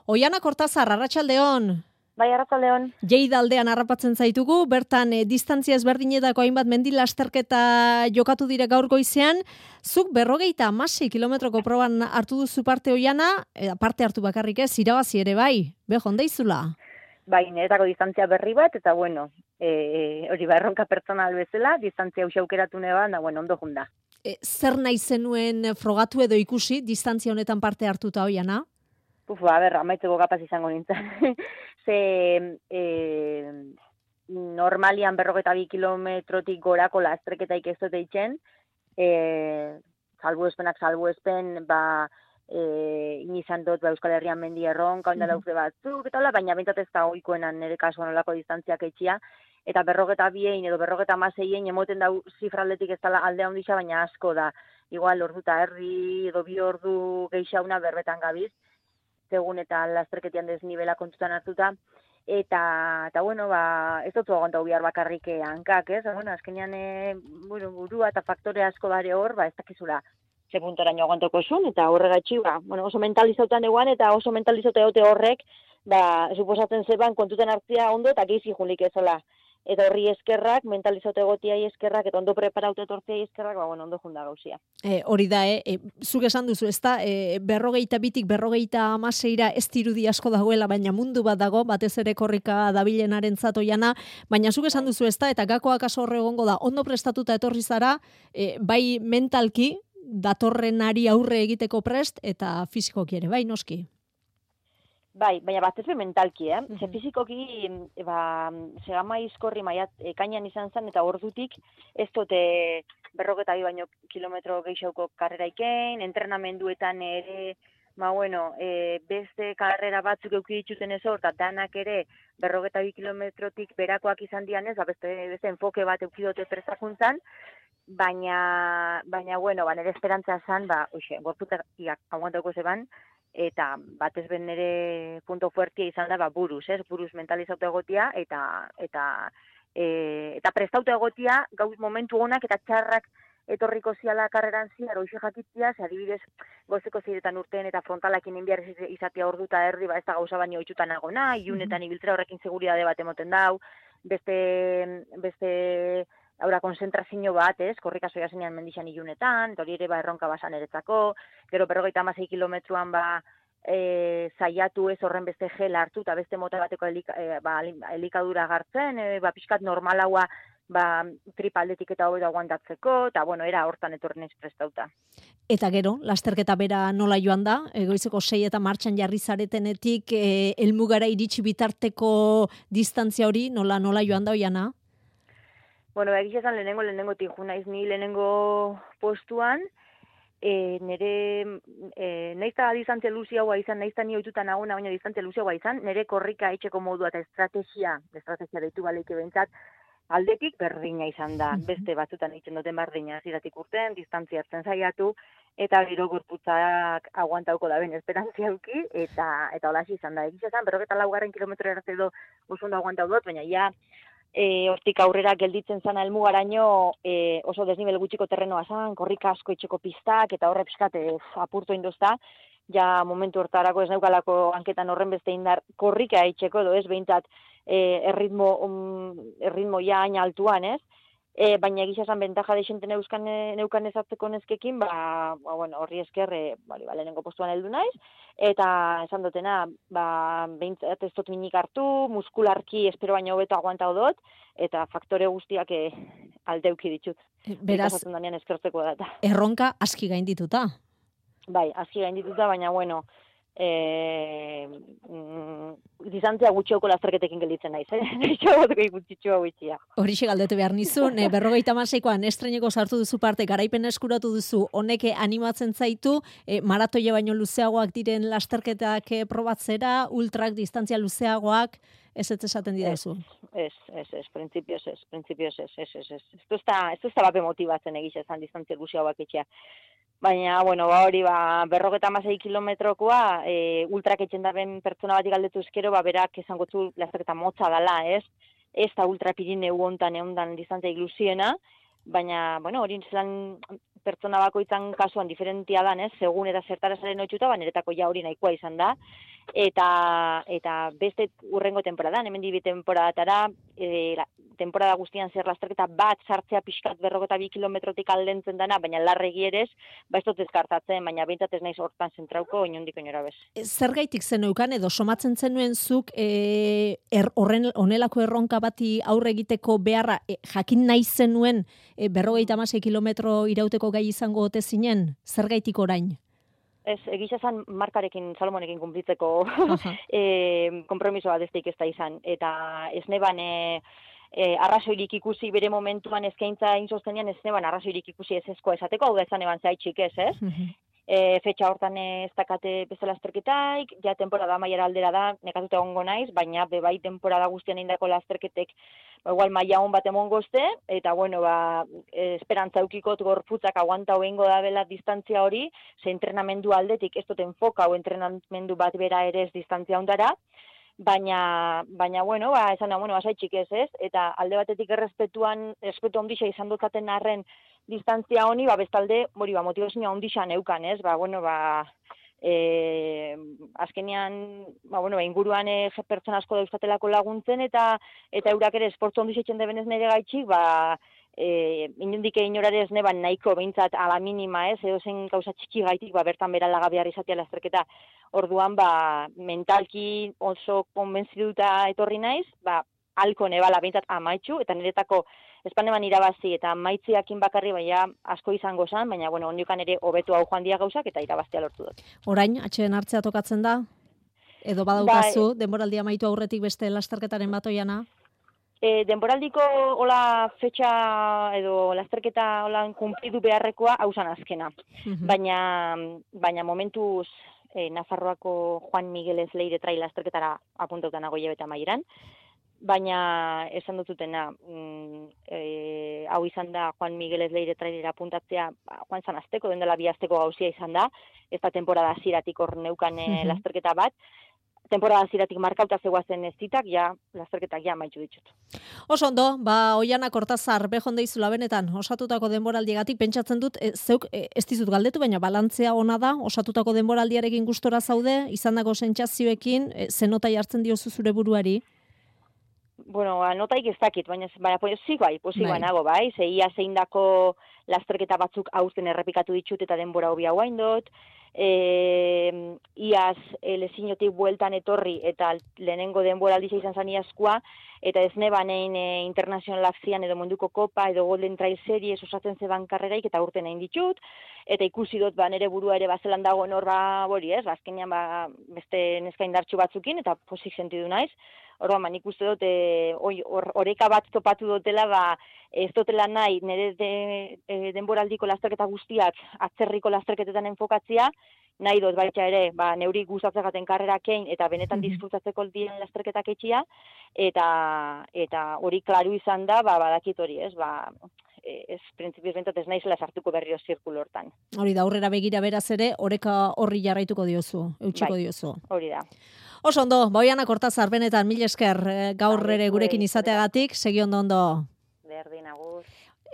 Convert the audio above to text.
Oiana Kortazar, arratsaldeon. Bai, arratsaldeon. Lleida aldean harrapatzen zaitugu, bertan distantzia ezberdinetako hainbat mendi lasterketa jokatu dire gaur goizean. Zuk 56 kilometroko proban hartu duzu parte, Oiana, parte hartu bakarrik ez, irabazi ere bai, hondeizula. Bai, niretako distantzia berri bat, eta bueno, hori erronka pertsonal bezala, distantzia hausia aukeratu neban, da ondo junda. Zer nahi zenuen frogatu edo ikusi distantzia honetan parte hartuta, Oiana? Amaitzeko kapaz izango nintzen. Normalian 42 kilometrotik gorako lastreketaik ez dut eitzen, salbuespen, inizan dut Euskal Herrian mendi erronka, onda lauze batzuk, eta baina bentsat ez da oikoenan nire kasuan olako distantziak eitxia, eta 42 edo 56 emoten dau zifraldetik ez dela aldea ondisa, baina asko da. Igual ordu eta herri edo 2 ordu geixauna berbetan gabiz, segun eta lasterketian desnibela kontutan hartuta, eta ez dut aguantau bihar bakarrik hankak, ez? Azkenean burua eta faktore asko bare hor, ez dakizula ze puntoraino aguantoko esun, eta horregatxi, oso mentalizautan eguan, eta oso mentalizauta egote horrek, suposatzen zeban kontuten hartzia ondo, eta geizi julik ezola. Eta horri eskerrak, mentalizote egotiai eskerrak, eta ondo preparaute etortzea eskerrak, ondo junda gauzia. Hori da, zuk esan duzu, ez da, 42tik 56 ez dirudi asko dagoela, baina mundu bat dago, batez ere korrika dabilenaren zatoiana, baina zuk esan duzu, ez da, eta gakoak aso horre egongo da, ondo prestatuta etorri zara, bai mentalki, datorrenari aurre egiteko prest, eta fizikoki ere, bai, noski? Bai, baina bat ez mentalki, Ze fizikoki, segama izkorri ekainan izan zen, eta ordutik ez dute 42 baino kilometro geixauko karrera ikein, entrenamenduetan ere, beste karrera batzuk eukiditxuten ez hor, eta danak ere 42 kilometrotik berakoak izan dianez, beste enfoke bat eukidote prestakuntzan, baina nire esperantza zan, gorputak aguantauko zeban, eta batez ben nire punto fuertia izan da buruz mentalizauta egotia eta prestauta egotia gauz momentu onak eta txarrak etorriko ziala karreran ziar hoxe jakitzia, adibidez gozeko ziretan urtean eta frontalakin inbiar izatea orduta erdi, ez da gauza baino oitzutan agona, iunetan ibiltzera horrekin seguridade bat emoten dau, beste haura konzentrazio bat, korrika soia zenean mendixan ilunetan, hori ere erronka basan eretzako, gero 56 kilometruan zaiatu ez horren beste gel hartu, eta beste mota bateko elikadura gartzen, pixkat normalaua tripaldetik eta hobeto aguantatzeko, eta era hortan etorren ez prestauta. Eta gero, lasterketa bera nola joan da, goizeko 6 eta martxan jarri zaretenetik, helmugara iritsi bitarteko distantzia hori nola joan da, Oiana? Egiz esan lehenengo tiju naiz ni lehenengo postuan, naizta distantzia luziagoa izan, naizta ni oitutan aguna, baina distantzia luziagoa izan, nire korrika etxeko modua eta estrategia deitu baleike behintzat, aldetik berdina izan da, beste batzutan egiten duten berdina, ziratik urten, distantzia hartzen zaiatu, eta gero gorputzak aguantauko da ben esperantzia auki, eta holaxi izan da. Egiz esan, 44 kilometro erarte edo oso ondo aguantau dut, baina ja, hortik aurrera gelditzen zana helmugaraino oso desnibel gutxiko terrenoa zan, korrika asko itxeko pistak, eta horre piskat apurtu induzta, ja momentu hortarako ez neukalako hanketan horren beste indar korrika itxeko edo ez behintzat erritmo ja haina altuan, ez? Baina egiz esan bentaja deixenten neukan ezatzeko neskekin, horri esker, lehenengo postuan heldu naiz, eta esan dutena, behintzat ez dut minik hartu, muskularki espero baino hobeto aguantau dut, eta faktore guztiak aldeuki ditut. Beraz, eskertzeko data. Erronka aski gaindituta. Bai, aski gaindituta, baina distantzia gutxioko lasterketekin gelditzen naiz, Horixe galdetu behar nizun, 56koan estreneko sartu duzu parte, garaipen eskuratu duzu, honek animatzen zaitu, maratoia baino luzeagoak diren lasterketak probatzera, ultrak distantzia luzeagoak, ez esaten didazu? Ez, printzipioz ez. Ez da bape motibatzen egiz ezan distantzia luzeagoak etxea. Baina, hori, 56 kilometrokoa, ultrak etxen daren pertsona batik galdetu ezkero, berak esango zu lasterketa motza dala, ez? Ez da ultra Pirineu hontan distantzia ilusiena, baina, hori zelan pertsona bakoitzan kasuan diferentia dan, segun eta zertara zaren otxuta, niretako ja hori nahikoa izan da. Eta beste urrengo temporadan, hemen dibi temporadatara, temporada guztian zer lasterketa bat sartzea pixkat 42 kilometrotik aldentzen dana, baina larregi ere ez dut ezkartatzen, baina behintzat ez naiz hortan zentrauko inondik inora bez. Zergaitik zeneukan edo somatzen zenuen zuk honelako erronka bati aurre egiteko beharra jakin nahi zenuen 56 kilometro irauteko gai izango ote zinen? Zergaitik orain? Ez, egisa zan markarekin, Salomonekin kumplitzeko kompromiso bat ez da izan. Eta ez neban arrazoirik ikusi bere momentuan eskaintza insostenean, ez neban arrazoirik ikusi ez ezkoa esateko, hau da ezan eban zaitxik ez? Fetxa hortan ez dakate bezala lasterketaik, ja temporada maiara aldera da, nekatuta egongo naiz, baina bebai temporada guztian indako lasterketek igual maila hon bat emongozte, eta bueno, esperantza eukikot gorputzak aguanta hoengo da bela distantzia hori, ze entrenamendu aldetik ez dut enfoka o entrenamendu bat bera ere ez distantzia ondara, baina bueno, esan da, bueno, asaitxik ez, eta alde batetik errespetu ondixa izan dutzaten arren distantzia honi, bestalde, motivazioa ondixan eukan, ez, azkenean, inguruan pertsona asko dauzkatelako laguntzen, eta eurak ere esportu ondixetzen debenez nire gaitxik, inundik inorare ez neban nahiko behintzat ala minima edo zen gauza txiki gaitik, bertan bera lagabiar izatea lasterketa. Orduan, mentalki oso konbentzituta etorri naiz, alko nebala behintzat amaitxu, eta niretako espaneman irabazi eta maitziakin bakarri asko izango zen, baina ondiokan ere hobetu hau joan dia gauzak eta irabaztea lortu dut. Orain, atxeen hartzea tokatzen da? Edo badaukazu, denboraldia amaitu aurretik beste lasterketaren bat oiana? Denboraldiko hola fetxa edo lasterketa hola kumplidu beharrekoa hausan azkena. Baina momentuz Nafarroako Juan Miguelez Leire trail lasterketara apuntautan nago hilabete amaieran. Baina esan dututena, hau izan da Juan Miguelez Leire trailera apuntatzea joan zan azteko, den dela 2 asteko gauzia izan da, ez da temporada ziratik hor neukan lasterketa bat, temporada ziratik markauta zegoazen ez zitak, lasterketak maitxu ditut. Oso ondo, Oiana Kortazar, behon deizula benetan, osatutako denboraldiagatik, pentsatzen dut, zeuk ez dizut galdetu, baina balantzea ona da, osatutako denboraldiarekin gustora zaude, izandako sentsazioekin, zenota jartzen diozu zure buruari? Bueno, notaik ez dakit, baina posikoa nago, ze ia zeindako lasterketa batzuk aurten errepikatu ditut eta denbora hobi hauain dut, iaz lezinotik bueltan etorri eta lehenengo denbora aldisa izan zan iazkoa, eta ez nebanein International Lapsian edo munduko kopa edo Golden Trail Series osatzen zeban karreraik eta urten egin ditut, eta ikusi dut nere burua ere bazelan dago nor azkenean beste neska indartxu batzukin eta posik sentidu naiz. Orduan, nik uste dut, oreka bat topatu dutela, ez dutela nahi, nire denboraldiko lasterketa guztiak atzerriko lasterketetan enfokatzia, nahi dut baita ere, neuri gustatzegaten karrerakein eta benetan disfrutatzeko diren lasterketak etxia, eta hori klaru izan da, badakit hori, ez printzipioz bentat ez naizela sartuko berriro zirkulo hortan. Hori da, aurrera begira beraz ere, oreka horri jarraituko diozu, eutxiko diozu. Hori da. Oso ondo, Oiana Kortazar, benetan, mil esker gaur ere gurekin izateagatik, segi ondo. Berdin, agur.